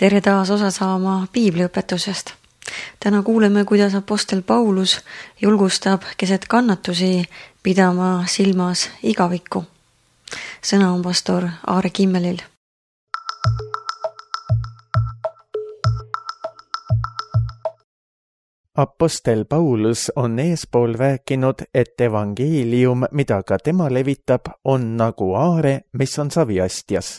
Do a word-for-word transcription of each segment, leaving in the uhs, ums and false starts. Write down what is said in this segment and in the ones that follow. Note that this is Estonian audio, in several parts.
Tere taas osa saama piibliõpetusest. Täna kuuleme, kuidas apostel Paulus julgustab keset kannatusi pidama silmas igavikku. Sõna on pastor Aare Kimmelil. Apostel Paulus on eespool rääkinud, et evangeelium, mida ka tema levitab, on nagu aare, mis on saviastjas.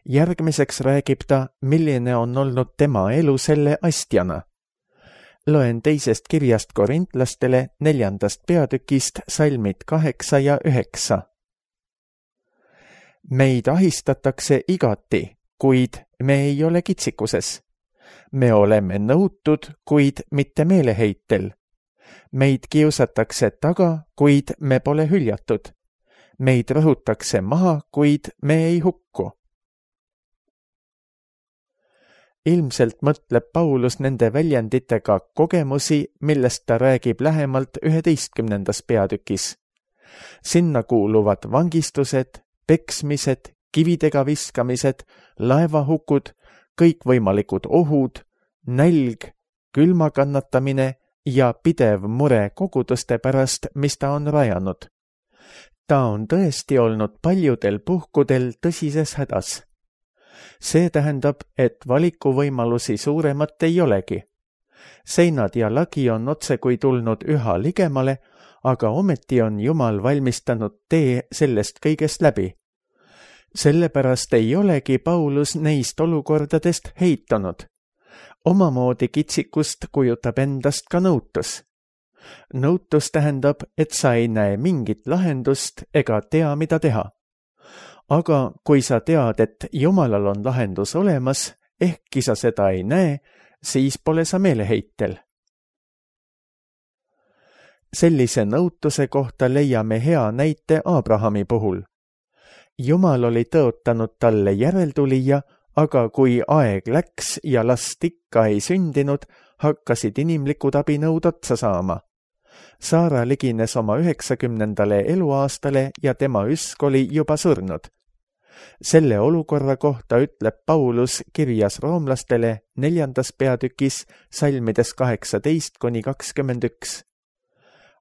Järgmiseks räägib ta, milline on olnud tema elu selle astjana. Loen teisest kirjast korintlastele neljandast peatükist salmid kaheksa ja üheksa. Meid ahistatakse igati, kuid me ei ole kitsikuses. Me oleme nõutud, kuid mitte meeleheitel. Meid kiusatakse taga, kuid me pole hüljatud. Meid rõhutakse maha, kuid me ei hukku. Ilmselt mõtleb Paulus nende väljenditega kogemusi, millest ta räägib lähemalt üheteistkümnendas peatükis. Sinna kuuluvad vangistused, peksmised, kividega viskamised, laevahukud, kõikvõimalikud ohud, nälg, külma kannatamine ja pidev mure koguduste pärast, mis ta on rajanud. Ta on tõesti olnud paljudel puhkudel tõsises hädas. See tähendab, et valikuvõimalusi suuremat ei olegi. Seinad ja lagi on otsekui tulnud üha ligemale, aga ometi on Jumal valmistanud tee sellest kõigest läbi. Sellepärast ei olegi Paulus neist olukordadest heitunud. Omamoodi kitsikust kujutab endast ka nõutus. Nõutus tähendab, et sa ei näe mingit lahendust ega tea, mida teha. Aga kui sa tead, et Jumalal on lahendus olemas, ehkki sa seda ei näe, siis pole sa meeleheitel. Sellise nõutuse kohta leiame hea näite Abrahami puhul. Jumal oli tõotanud talle järeltulija, aga kui aeg läks ja last ikka ei sündinud, hakkasid inimlikud abinõud otsa saama. Saara ligines oma üheksakümnendale eluaastale ja tema üsk oli juba surnud. Selle olukorra kohta ütleb Paulus kirjas roomlastele neljandas peatükis salmides kaheksateist kuni kakskümmend üks.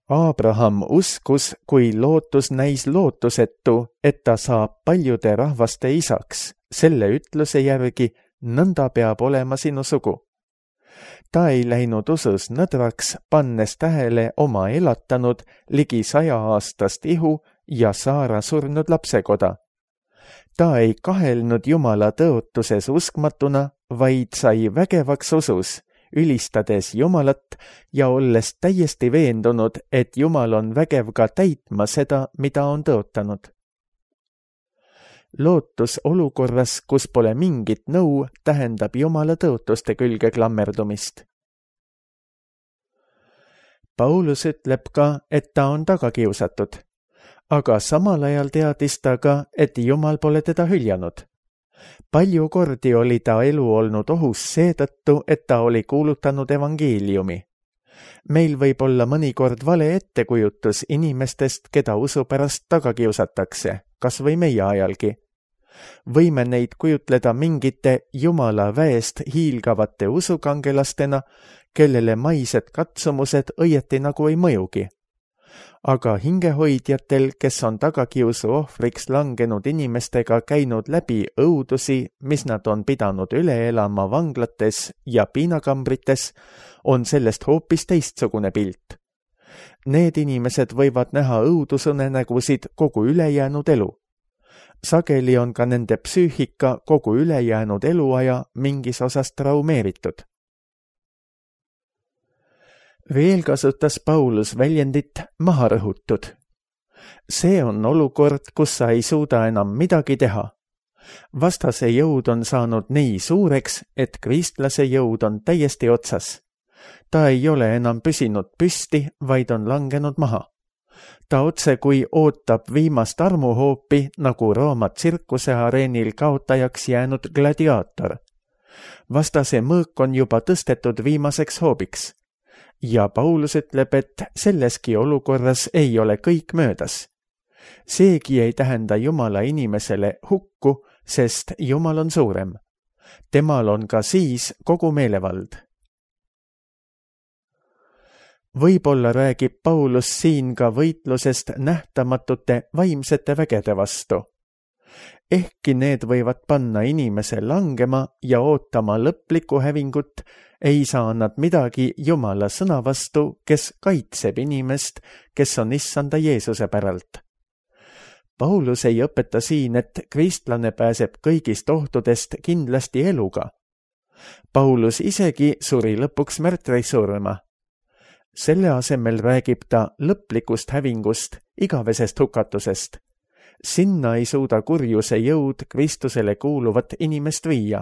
Abraham uskus, kui lootus näis lootusetu, et ta saab paljude rahvaste isaks. Selle ütluse järgi nõnda peab olema sinu sugu. Ta ei läinud usus nõdraks, pannes tähele oma elatanud ligi saja aastast ihu ja Saara surnud lapsekoda. Ta ei kahelnud Jumala tõotuses uskmatuna, vaid sai vägevaks usus, ülistades Jumalat ja olles täiesti veendunud, et Jumal on vägev ka täitma seda, mida on tõotanud. Lootus olukorras, kus pole mingit nõu, tähendab Jumala tõotuste külge klammerdumist. Paulus ütleb ka, et ta on tagakiusatud, aga samal ajal teadis ta ka, et Jumal pole teda hüljanud. Palju kordi oli ta elu olnud ohus seetõttu, et ta oli kuulutanud evangeeliumi. Meil võib olla mõnikord vale ettekujutus inimestest, keda usu pärast taga kiusatakse, kas või meie ajalgi. Võime neid kujutleda mingite Jumala väest hiilgavate usukangelastena, kellele maised katsumused õieti nagu ei mõjugi. Aga hingehoidjatel, kes on tagakiusu ohvriks langenud inimestega käinud läbi õudusi, mis nad on pidanud üle elama vanglates ja piinakambrites, on sellest hoopis teistsugune pilt. Need inimesed võivad näha õudusunenägusid kogu ülejäänud elu. Sageli on ka nende psüühika kogu ülejäänud eluaja mingis osas traumeeritud. Veel kasutas Paulus väljendit maha rõhutud. See on olukord, kus sa ei suuda enam midagi teha. Vastase jõud on saanud nii suureks, et kristlase jõud on täiesti otsas. Ta ei ole enam püsinud püsti, vaid on langenud maha. Ta otse kui ootab viimast armuhoopi, nagu Rooma tsirkuse areenil kaotajaks jäänud gladiaator. Vastase mõõk on juba tõstetud viimaseks hoobiks. Ja Paulus ütleb, et selleski olukorras ei ole kõik möödas. Seegi ei tähenda Jumala inimesele hukku, sest Jumal on suurem. temal on ka siis kogu meelevald. Võib-olla räägib Paulus siin ka võitlusest nähtamatute vaimsete vägede vastu. Ehkki need võivad panna inimese langema ja ootama lõplikku hävingut, ei saa nad midagi Jumala sõna vastu, kes kaitseb inimest, kes on issanda Jeesuse päralt. Paulus ei õpeta siin, et kristlane pääseb kõigist ohtudest kindlasti eluga. Paulus isegi suri lõpuks märtrisurma. Selle asemel räägib ta lõplikust hävingust, igavesest hukatusest. Sinna ei suuda kurjuse jõud Kristusele kuuluvat inimest viia.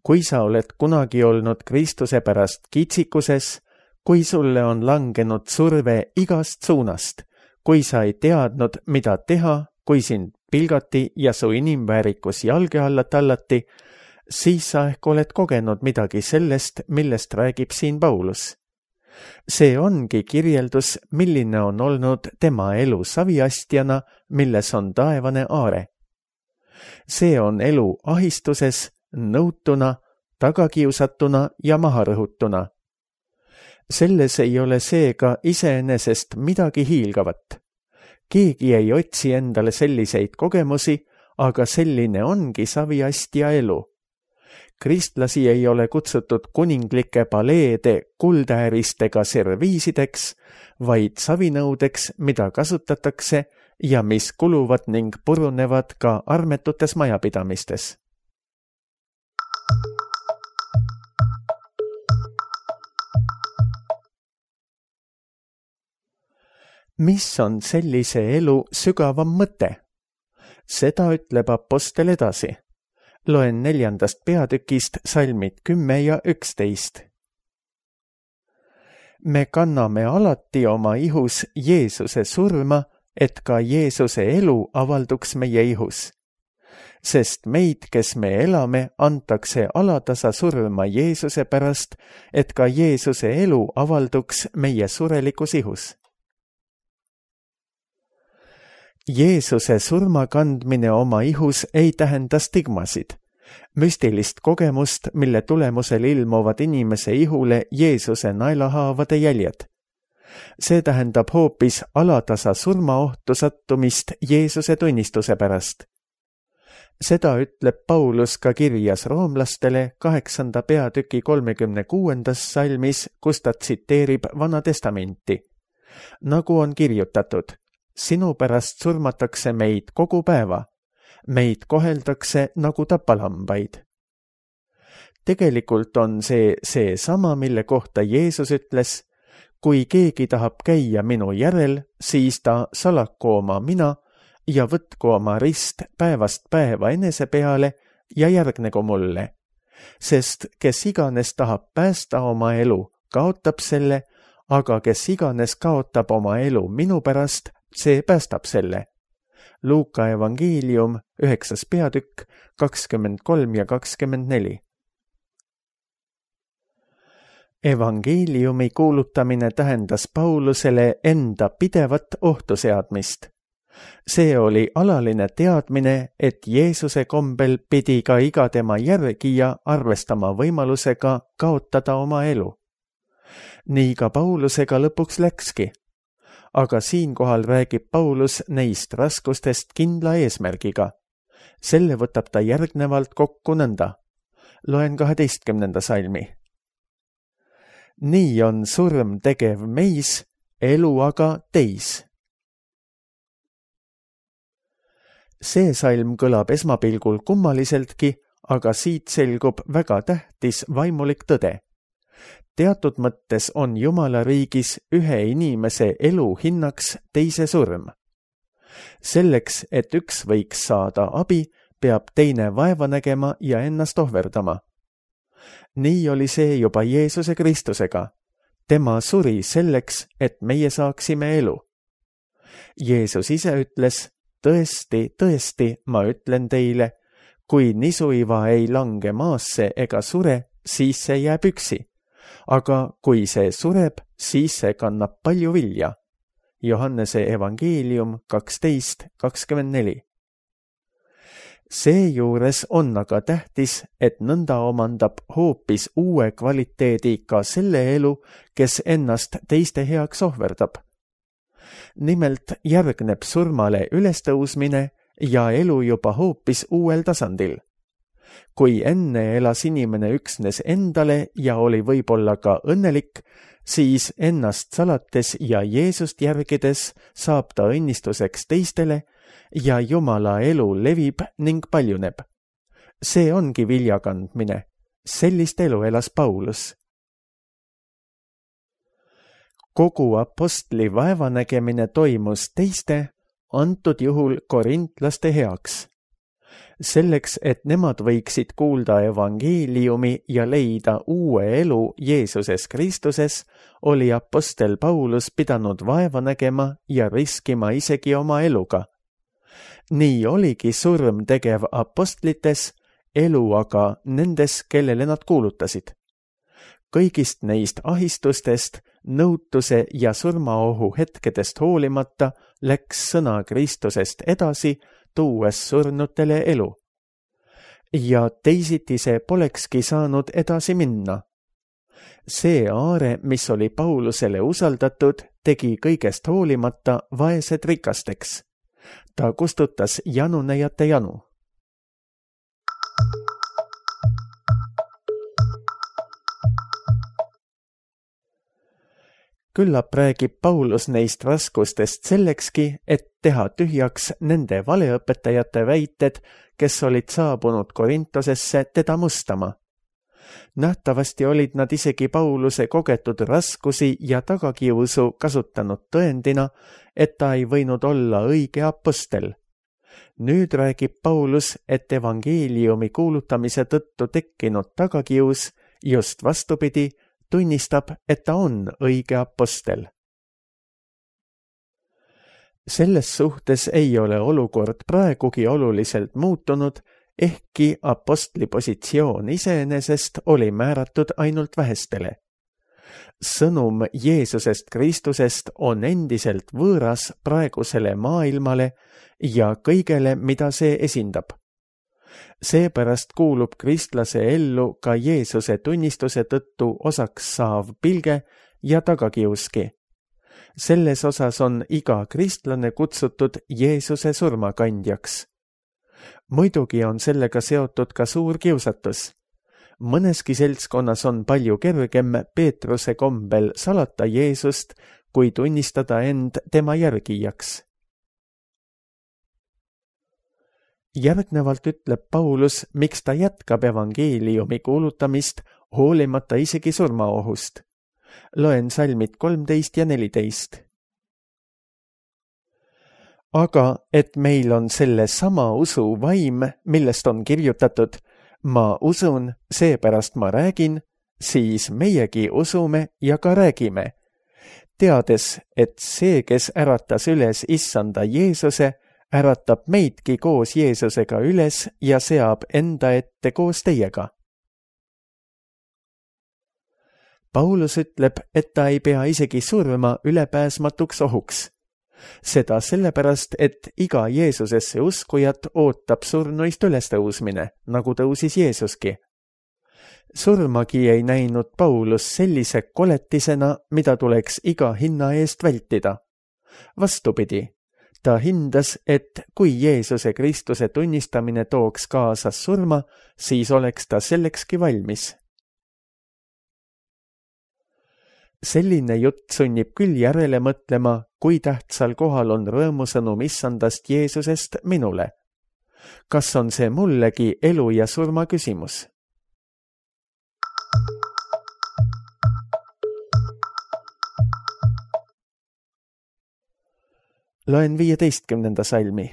Kui sa oled kunagi olnud Kristuse pärast kitsikuses, kui sulle on langenud surve igast suunast, kui sa ei teadnud, mida teha, kui sind pilgati ja su inimväärikus jalge alla tallati, siis sa ehk oled kogenud midagi sellest, millest räägib siin Paulus. See ongi kirjeldus, milline on olnud tema elu saviastjana, milles on taevane aare. See on elu ahistuses, nõutuna, tagakiusatuna ja maharõhutuna. Selles ei ole seega iseenesest midagi hiilgavat. Keegi ei otsi endale selliseid kogemusi, aga selline ongi saviastja elu. Kristlasi ei ole kutsutud kuninglike paleede kuldääristega serviisideks, vaid savinõudeks, mida kasutatakse ja mis kuluvad ning purunevad ka armetutes majapidamistes. Mis on sellise elu sügavam mõte? Seda ütleb apostel edasi. Loen neljandast peatükist salmid kümme ja üksteist. Me kanname alati oma ihus Jeesuse surma, et ka Jeesuse elu avalduks meie ihus. Sest meid, kes me elame, antakse alatasa surma Jeesuse pärast, et ka Jeesuse elu avalduks meie surelikus ihus. Jeesuse surma kandmine oma ihus ei tähenda stigmasid, müstilist kogemust, mille tulemusel ilmuvad inimese ihule Jeesuse naelahaavade jäljed. See tähendab hoopis alatasa surmaohtu sattumist Jeesuse tunnistuse pärast. Seda ütleb Paulus ka kirjas roomlastele kaheksanda peatüki kolmekümne kuuendas salmis, kus ta tsiteerib Vana Testamenti. Nagu on kirjutatud, sinu pärast surmatakse meid kogu päeva, meid koheldakse nagu tapalambaid. Tegelikult on see see sama, mille kohta Jeesus ütles, kui keegi tahab käia minu järel, siis ta salaku oma mina ja võtku oma rist päevast päeva enese peale ja järgnegu mulle. Sest kes iganes tahab päästa oma elu, kaotab selle, aga kes iganes kaotab oma elu minu pärast, see päästab selle. Luuka evangeelium, üheksas peatükk, kakskümmend kolm ja kakskümmend neli. Evangeeliumi kuulutamine tähendas Paulusele enda pidevat ohtu seadmist. See oli alaline teadmine, et Jeesuse kombel pidi ka iga tema järgija arvestama võimalusega kaotada oma elu. Nii ka Paulusega lõpuks läkski. Aga siinkohal räägib Paulus neist raskustest kindla eesmärgiga. Selle võtab ta järgnevalt kokku nõnda. Loen kaheteistkümnenda salmi. Nii on surm tegev meis, elu aga teis. See salm kõlab esmapilgul kummaliseltki, aga siit selgub väga tähtis vaimulik tõde. Teatud mõttes on Jumala riigis ühe inimese elu hinnaks teise surm. Selleks, et üks võiks saada abi, peab teine vaeva nägema ja ennast ohverdama. Nii oli see juba Jeesuse Kristusega. Tema suri selleks, et meie saaksime elu. Jeesus ise ütles, tõesti, tõesti, ma ütlen teile, kui nisuiva ei lange maasse ega sure, siis see jääb üksi. Aga kui see sureb, siis see kannab palju vilja. Johannese evangeelium kaksteist kakskümmend neli. Seejuures on aga tähtis, et nõnda omandab hoopis uue kvaliteedi ka selle elu, kes ennast teiste heaks ohverdab. Nimelt järgneb surmale ülestõusmine ja elu juba hoopis uuel tasandil. Kui enne elas inimene üksnes endale ja oli võib-olla ka õnnelik, siis ennast salates ja Jeesust järgides saab ta õnnistuseks teistele ja Jumala elu levib ning paljuneb. See ongi vilja kandmine. Sellist elu elas Paulus. Kogu apostli vaevanägemine toimus teiste, antud juhul korintlaste heaks. Selleks, et nemad võiksid kuulda evangeeliumi ja leida uue elu Jeesuses Kristuses, oli apostel Paulus pidanud vaeva nägema ja riskima isegi oma eluga. Nii oligi surm tegev apostlites, elu aga nendes, kellele nad kuulutasid. Kõigist neist ahistustest, nõutuse ja surmaohu hetkedest hoolimata läks sõna Kristusest edasi, tuues surnutele elu. Ja teisiti see polekski saanud edasi minna. See aare, mis oli Paulusele usaldatud, tegi kõigest hoolimata vaesed rikasteks. Ta kustutas janunejate janu. Küllap räägib Paulus neist raskustest sellekski, et teha tühjaks nende valeõpetajate väited, kes olid saabunud Korintosesse teda mustama. Nähtavasti olid nad isegi Pauluse kogetud raskusi ja tagakiusu kasutanud tõendina, et ta ei võinud olla õige apostel. Nüüd räägib Paulus, et evangeeliumi kuulutamise tõttu tekkinud tagakius just vastupidi tunnistab, et ta on õige apostel. Selles suhtes ei ole olukord praegugi oluliselt muutunud, ehkki apostli positsioon iseenesest oli määratud ainult vähestele. Sõnum Jeesusest Kristusest on endiselt võõras praegusele maailmale ja kõigele, mida see esindab. Seepärast kuulub kristlase ellu ka Jeesuse tunnistuse tõttu osaks saav pilge ja tagakiuski. Selles osas on iga kristlane kutsutud Jeesuse surmakandjaks. Muidugi on sellega seotud ka suur kiusatus. Mõneski seltskonnas on palju kergem Peetruse kombel salata Jeesust, kui tunnistada end tema järgijaks. Järgnevalt ütleb Paulus, miks ta jätkab evangeeliumi kuulutamist hoolimata isegi surmaohust. Loen salmid kolmteist ja neliteist. Aga et meil on selle sama usu vaim, millest on kirjutatud, ma usun, seepärast ma räägin, siis meiegi usume ja ka räägime. Teades, et see, kes äratas üles issanda Jeesuse, äratab meidki koos Jeesusega üles ja seab enda ette koos teiega. Paulus ütleb, et ta ei pea isegi surma ülepääsmatuks ohuks. Seda sellepärast, et iga Jeesusesse uskujat ootab surnuist ülestõusmine, nagu tõusis Jeesuski. Surmagi ei näinud Paulus sellise koletisena, mida tuleks iga hinna eest vältida. Vastupidi, ta hindas, et kui Jeesuse Kristuse tunnistamine tooks kaasas surma, siis oleks ta sellekski valmis. Selline jutt sunnib küll järele mõtlema, kui tähtsal kohal on rõõmusõnum issandast Jeesusest minule. Kas on see mullegi elu ja surma küsimus? Loen viieteistkümnenda salmi.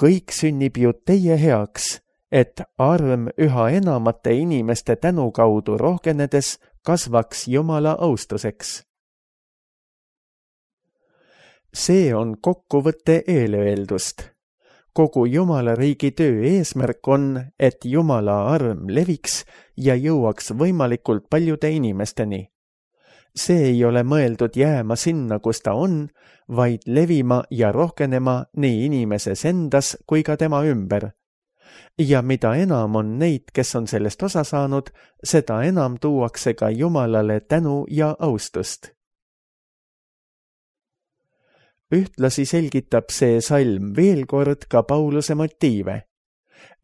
Kõik sünnib ju teie heaks, et arm üha enamate inimeste tänu kaudu rohkenedes kasvaks Jumala austuseks. See on kokkuvõte eelöeldust. Kogu Jumala riigi töö eesmärk on, et Jumala arm leviks ja jõuaks võimalikult paljude inimesteni. see ei ole mõeldud jääma sinna, kus ta on, vaid levima ja rohkenema nii inimeses endas kui ka tema ümber. Ja mida enam on neid, kes on sellest osa saanud, seda enam tuuakse ka Jumalale tänu ja austust. Ühtlasi selgitab see salm veel kord ka Pauluse motiive.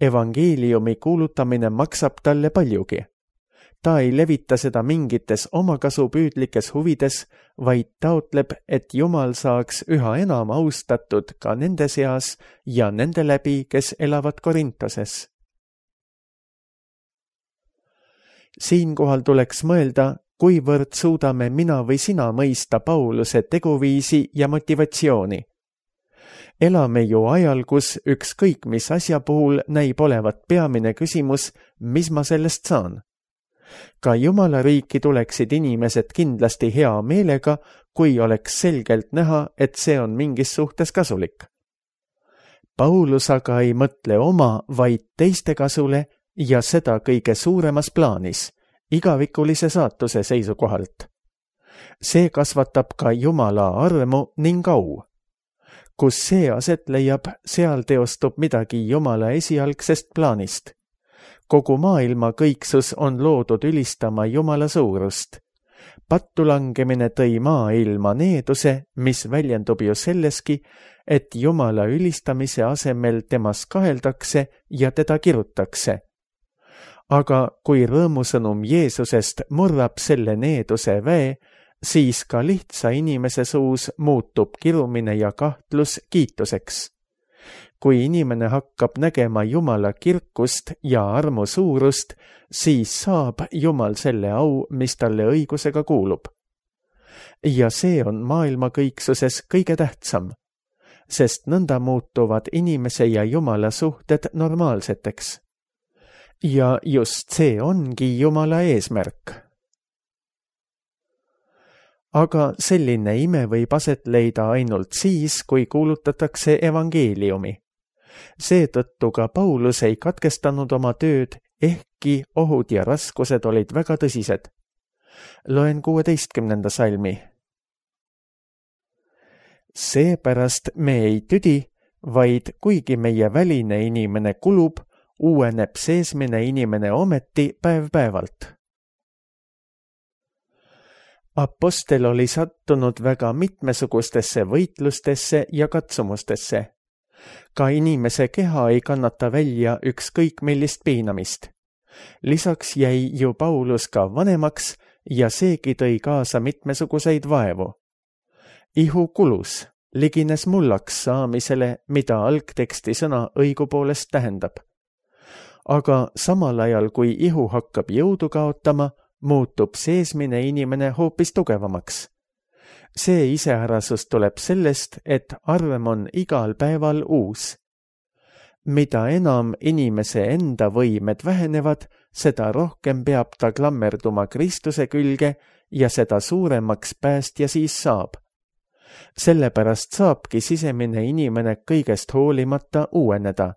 Evangeeliumi kuulutamine maksab talle paljugi. Ta ei levita seda mingites omakasupüüdlikes huvides, vaid taotleb, et Jumal saaks üha enam austatud ka nende seas ja nende läbi, kes elavad Korintoses. Siinkohal tuleks mõelda, kuivõrd suudame mina või sina mõista Pauluse teguviisi ja motivatsiooni. Elame ju ajal, kus ükskõik mis asja puhul näib olevat peamine küsimus, mis ma sellest saan. Ka Jumala riiki tuleksid inimesed kindlasti hea meelega, kui oleks selgelt näha, et see on mingis suhtes kasulik. Paulus aga ei mõtle oma, vaid teiste kasule ja seda kõige suuremas plaanis, igavikulise saatuse seisukohalt. See kasvatab ka Jumala armu ning au. Kus see aset leiab, seal teostub midagi Jumala esialgsest plaanist. Kogu maailma kõiksus on loodud ülistama Jumala suurust. Pattu langemine tõi maailma needuse, mis väljendub ju selleski, et Jumala ülistamise asemel temas kaheldakse ja teda kirutakse. Aga kui rõõmusõnum Jeesusest murrab selle needuse väe, siis ka lihtsa inimese suus muutub kirumine ja kahtlus kiituseks. Kui inimene hakkab nägema Jumala kirkust ja armu suurust, siis saab Jumal selle au, mis talle õigusega kuulub. Ja see on maailma kõiksuses kõige tähtsam, sest nõnda muutuvad inimese ja Jumala suhted normaalseteks. Ja just see ongi Jumala eesmärk. Aga selline ime võib aset leida ainult siis, kui kuulutatakse evangeeliumi. Seetõttu ka Paulus ei katkestanud oma tööd, ehkki ohud ja raskused olid väga tõsised. Loen kuueteistkümnenda salmi. Seepärast me ei tüdi, vaid kuigi meie väline inimene kulub, uueneb seesmine inimene ometi päev-päevalt. Apostel oli sattunud väga mitmesugustesse võitlustesse ja katsumustesse. Ka inimese keha ei kannata välja ükskõik millist piinamist. Lisaks jäi ju Paulus ka vanemaks ja seegi tõi kaasa mitmesuguseid vaevu. Ihu kulus, ligines mullaks saamisele, mida algteksti sõna õigupoolest tähendab. Aga samal ajal, kui ihu hakkab jõudu kaotama, muutub seesmine inimene hoopis tugevamaks. See iseärasus tuleb sellest, et arvem on igal päeval uus. Mida enam inimese enda võimed vähenevad, seda rohkem peab ta klammerduma Kristuse külge ja seda suuremaks päästja siis saab. Sellepärast saabki sisemine inimene kõigest hoolimata uueneda.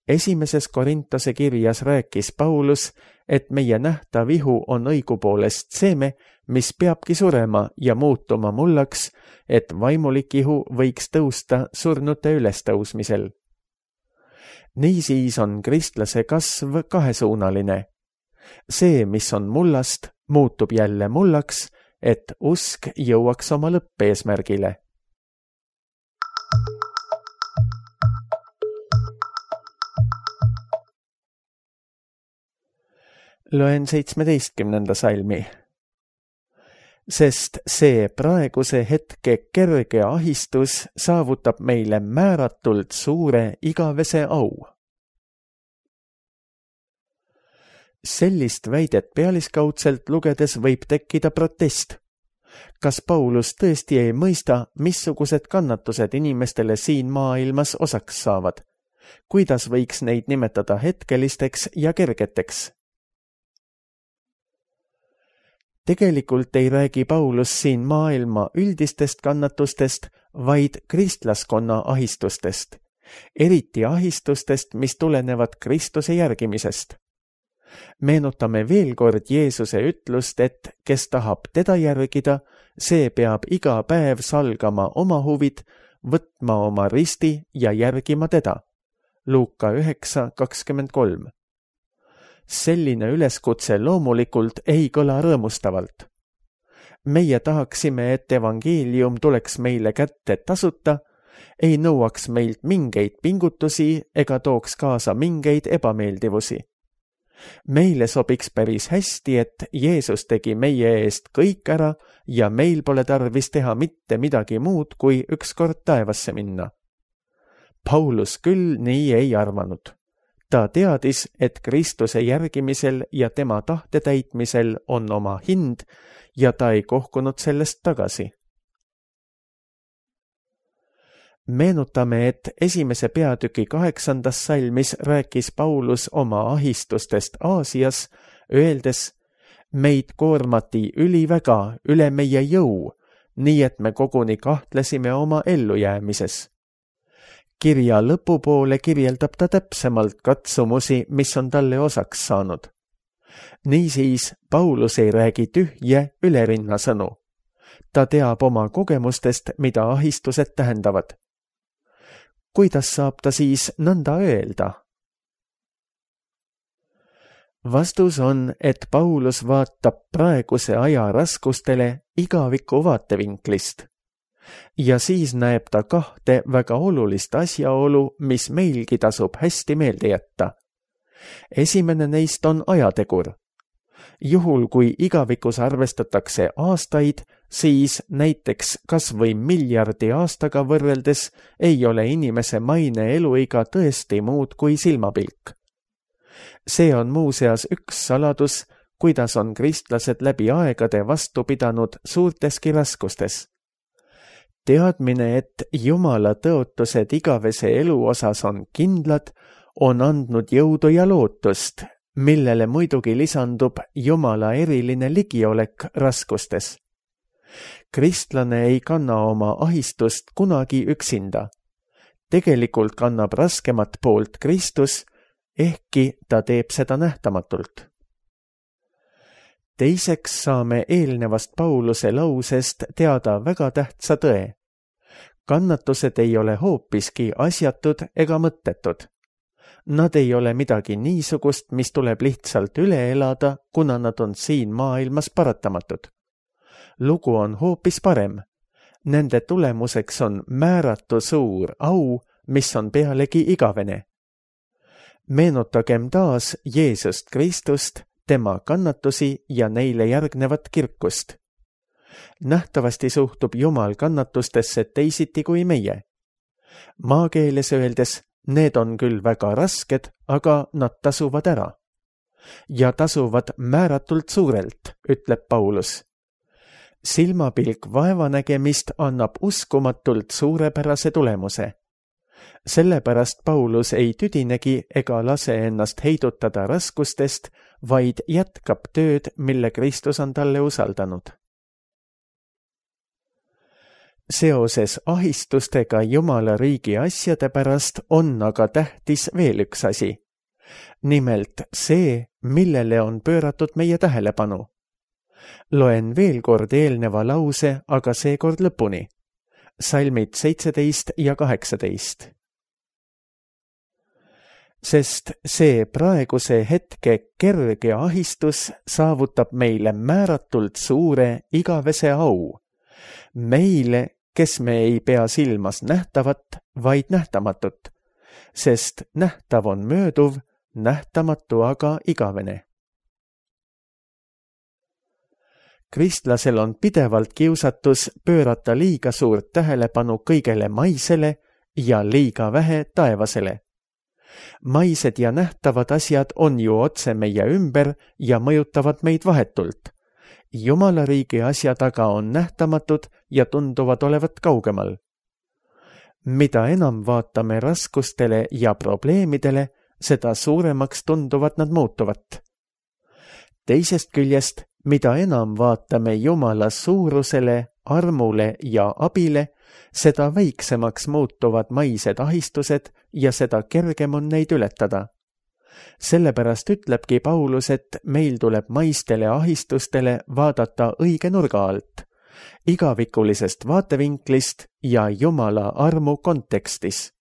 Esimeses Korintose kirjas rääkis Paulus, et meie nähtav ihu on õigupoolest seeme, mis peabki surema ja muutuma mullaks, et vaimulik ihu võiks tõusta surnute ülestõusmisel. Niisiis on kristlase kasv kahesuunaline. See, mis on mullast, muutub jälle mullaks, et usk jõuaks oma lõppeesmärgile. Loen seitsmeteistkümnenda salmi. Sest see praeguse hetke kerge ahistus saavutab meile määratult suure igavese au. Sellist väidet pealiskaudselt lugedes võib tekkida protest. Kas Paulus tõesti ei mõista, missugused kannatused inimestele siin maailmas osaks saavad? Kuidas võiks neid nimetada hetkelisteks ja kergeteks? Tegelikult ei räägi Paulus siin maailma üldistest kannatustest, vaid kristlaskonna ahistustest, eriti ahistustest, mis tulenevad Kristuse järgimisest. Meenutame veel kord Jeesuse ütlust, et kes tahab teda järgida, see peab iga päev salgama oma huvid, võtma oma risti ja järgima teda. Luuka üheksa kakskümmend kolm. Selline üleskutse loomulikult ei kõla rõõmustavalt. Meie tahaksime, et evangeelium tuleks meile kätte tasuta, ei nõuaks meilt mingeid pingutusi ega tooks kaasa mingeid ebameeldivusi. Meile sobiks päris hästi, et Jeesus tegi meie eest kõik ära ja meil pole tarvis teha mitte midagi muud, kui ükskord taevasse minna. Paulus küll nii ei arvanud. Ta teadis, et Kristuse järgimisel ja tema tahte täitmisel on oma hind ja ta ei kohkunud sellest tagasi. Meenutame, et esimese peatüki kaheksandas salmis rääkis Paulus oma ahistustest Aasias, öeldes, meid koormati üliväga üle meie jõu, nii et me koguni kahtlesime oma ellujäämises. Kirja lõpupoole kirjeldab ta täpsemalt katsumusi, mis on talle osaks saanud. Niisiis, Paulus ei räägi tühje ülerinna sõnu. Ta teab oma kogemustest, mida ahistused tähendavad. Kuidas saab ta siis nõnda öelda? Vastus on, et Paulus vaatab praeguse aja raskustele igaviku vaatevinklist. Ja siis näeb ta kahte väga olulist asjaolu, mis meilgi tasub hästi meelde jätta. Esimene neist on ajategur. Juhul, kui igavikus arvestatakse aastaid, siis näiteks kas või miljardi aastaga võrreldes ei ole inimese maine eluiga tõesti muud kui silmapilk. See on muuseas üks saladus, kuidas on kristlased läbi aegade vastu pidanud suurteski raskustes. Teadmine, et Jumala tõotused igavese elu osas on kindlad, on andnud jõudu ja lootust, millele muidugi lisandub Jumala eriline ligiolek raskustes. Kristlane ei kanna oma ahistust kunagi üksinda. Tegelikult kannab raskemat poolt Kristus, ehkki ta teeb seda nähtamatult. Teiseks saame eelnevast Pauluse lausest teada väga tähtsa tõe. Kannatused ei ole hoopiski asjatud ega mõttetud. Nad ei ole midagi niisugust, mis tuleb lihtsalt üle elada, kuna nad on siin maailmas paratamatud. Lugu on hoopis parem. Nende tulemuseks on määratu suur au, mis on pealegi igavene. Meenutagem taas Jeesust Kristust, tema kannatusi ja neile järgnevat kirkust. Nähtavasti suhtub Jumal kannatustesse teisiti kui meie. Maakeeles öeldes, need on küll väga rasked, aga nad tasuvad ära. Ja tasuvad määratult suurelt, ütleb Paulus. Silmapilk vaevanägemist annab uskumatult suurepärase tulemuse. Sellepärast Paulus ei tüdinegi ega lase ennast heidutada raskustest, vaid jätkab tööd, mille Kristus on talle usaldanud. Seoses ahistustega Jumala riigi asjade pärast on aga tähtis veel üks asi. Nimelt see, millele on pööratud meie tähelepanu. Loen veel kord eelneva lause, aga seekord lõpuni. Salmid seitseteist ja kaheksateist. Sest see praeguse hetke kerge ahistus saavutab meile määratult suure igavese au. Meile, kes me ei pea silmas nähtavat, vaid nähtamatut, sest nähtav on mööduv, nähtamatu aga igavene. Kristlasel on pidevalt kiusatus pöörata liiga suurt tähelepanu kõigele maisele ja liiga vähe taevasele. Maised ja nähtavad asjad on ju otse meie ümber ja mõjutavad meid vahetult. Jumala riigi asjad aga on nähtamatud ja tunduvad olevat kaugemal. Mida enam vaatame raskustele ja probleemidele, seda suuremaks tunduvad nad muutuvat. Teisest küljest, mida enam vaatame Jumala suurusele, armule ja abile, seda väiksemaks muutuvad maised ahistused ja seda kergem on neid ületada. sellepärast ütlebki Paulus, et meil tuleb maistele ahistustele vaadata õige nurga alt, igavikulisest vaatevinklist ja Jumala armu kontekstis.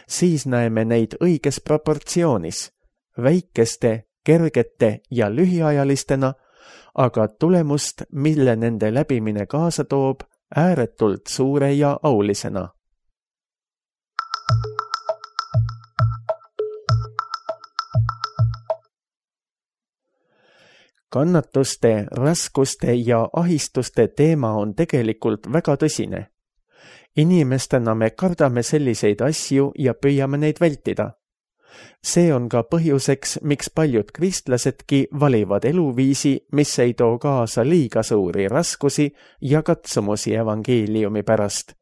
Siis näeme neid õiges proportsioonis, väikeste, kergete ja lühiajalistena, aga tulemust, mille nende läbimine kaasa toob, ääretult suure ja aulisena. Kannatuste, raskuste ja ahistuste teema on tegelikult väga tõsine. Inimestena me kardame selliseid asju ja püüame neid vältida. See on ka põhjuseks, miks paljud kristlasedki valivad eluviisi, mis ei too kaasa liiga suuri raskusi ja katsumusi evangeeliumi pärast.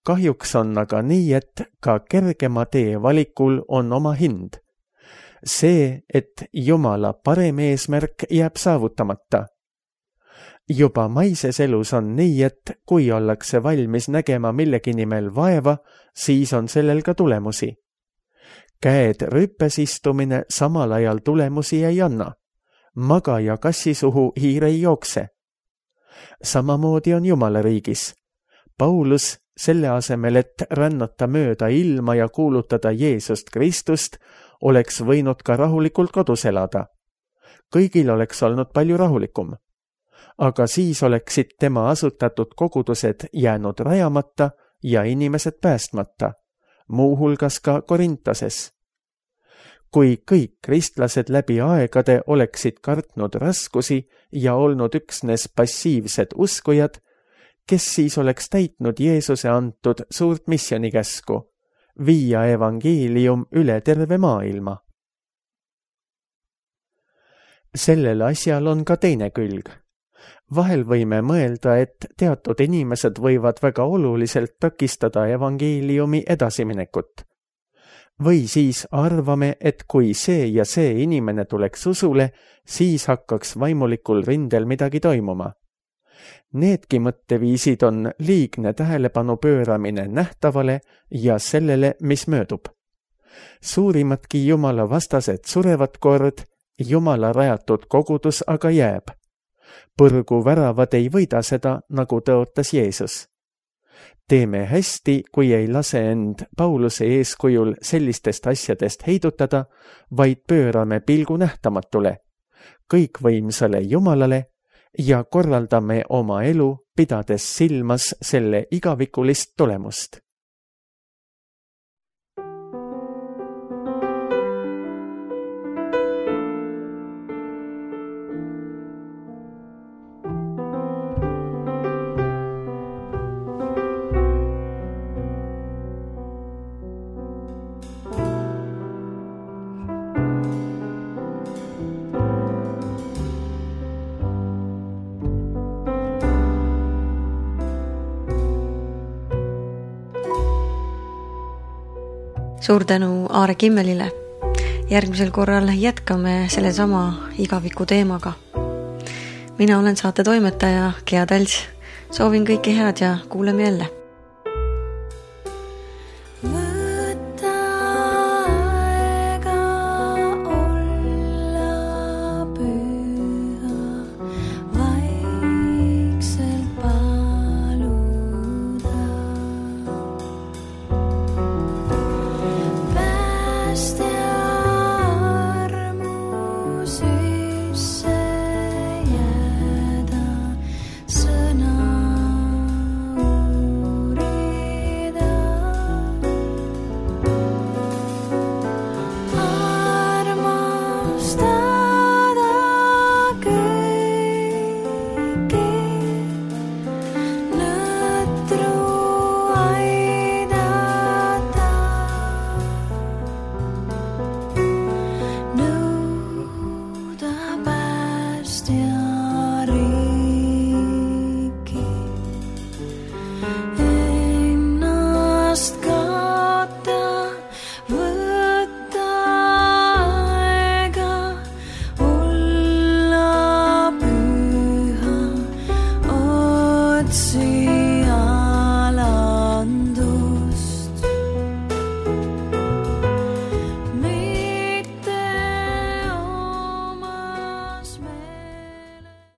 Kahjuks on aga nii, et ka kergema tee valikul on oma hind. See, et Jumala parem eesmärk jääb saavutamata. Juba maises elus on nii, et kui ollakse valmis nägema millegi nimel vaeva, siis on sellel ka tulemusi. Käed rüppes istumine samal ajal tulemusi ei anna. Magaja kassi suhu hiir ei jookse. Samamoodi on Jumala riigis. Paulus, selle asemel, et rännata mööda ilma ja kuulutada Jeesust Kristust, oleks võinud ka rahulikult kodus elada. Kõigil oleks olnud palju rahulikum. Aga siis oleksid tema asutatud kogudused jäänud rajamata ja inimesed päästmata, muuhulgas ka Korintoses. Kui kõik kristlased läbi aegade oleksid kartnud raskusi ja olnud üksnes passiivsed uskujad, kes siis oleks täitnud Jeesuse antud suurt missionikäsku, viia evangeelium üle terve maailma? Sellel asjal on ka teine külg. Vahel võime mõelda, et teatud inimesed võivad väga oluliselt takistada evangeeliumi edasiminekut. Või siis arvame, et kui see ja see inimene tuleks usule, siis hakkaks vaimulikul rindel midagi toimuma. Needki mõtteviisid on liigne tähelepanu pööramine nähtavale ja sellele, mis möödub. Suurimatki Jumala vastased surevad kord, Jumala rajatud kogudus aga jääb. Põrgu väravad ei võida seda, nagu tõotas Jeesus. Teeme hästi, kui ei lase end Pauluse eeskujul sellistest asjadest heidutada, vaid pöörame pilgu nähtamatule, kõikvõimsale Jumalale ja korraldame oma elu, pidades silmas selle igavikulist tulemust. Suur tänu Aare Kimmelile. Järgmisel korral jätkame sellesama igaviku teemaga. Mina olen saate toimetaja Gea Tals. Soovin kõike head ja kuuleme jälle.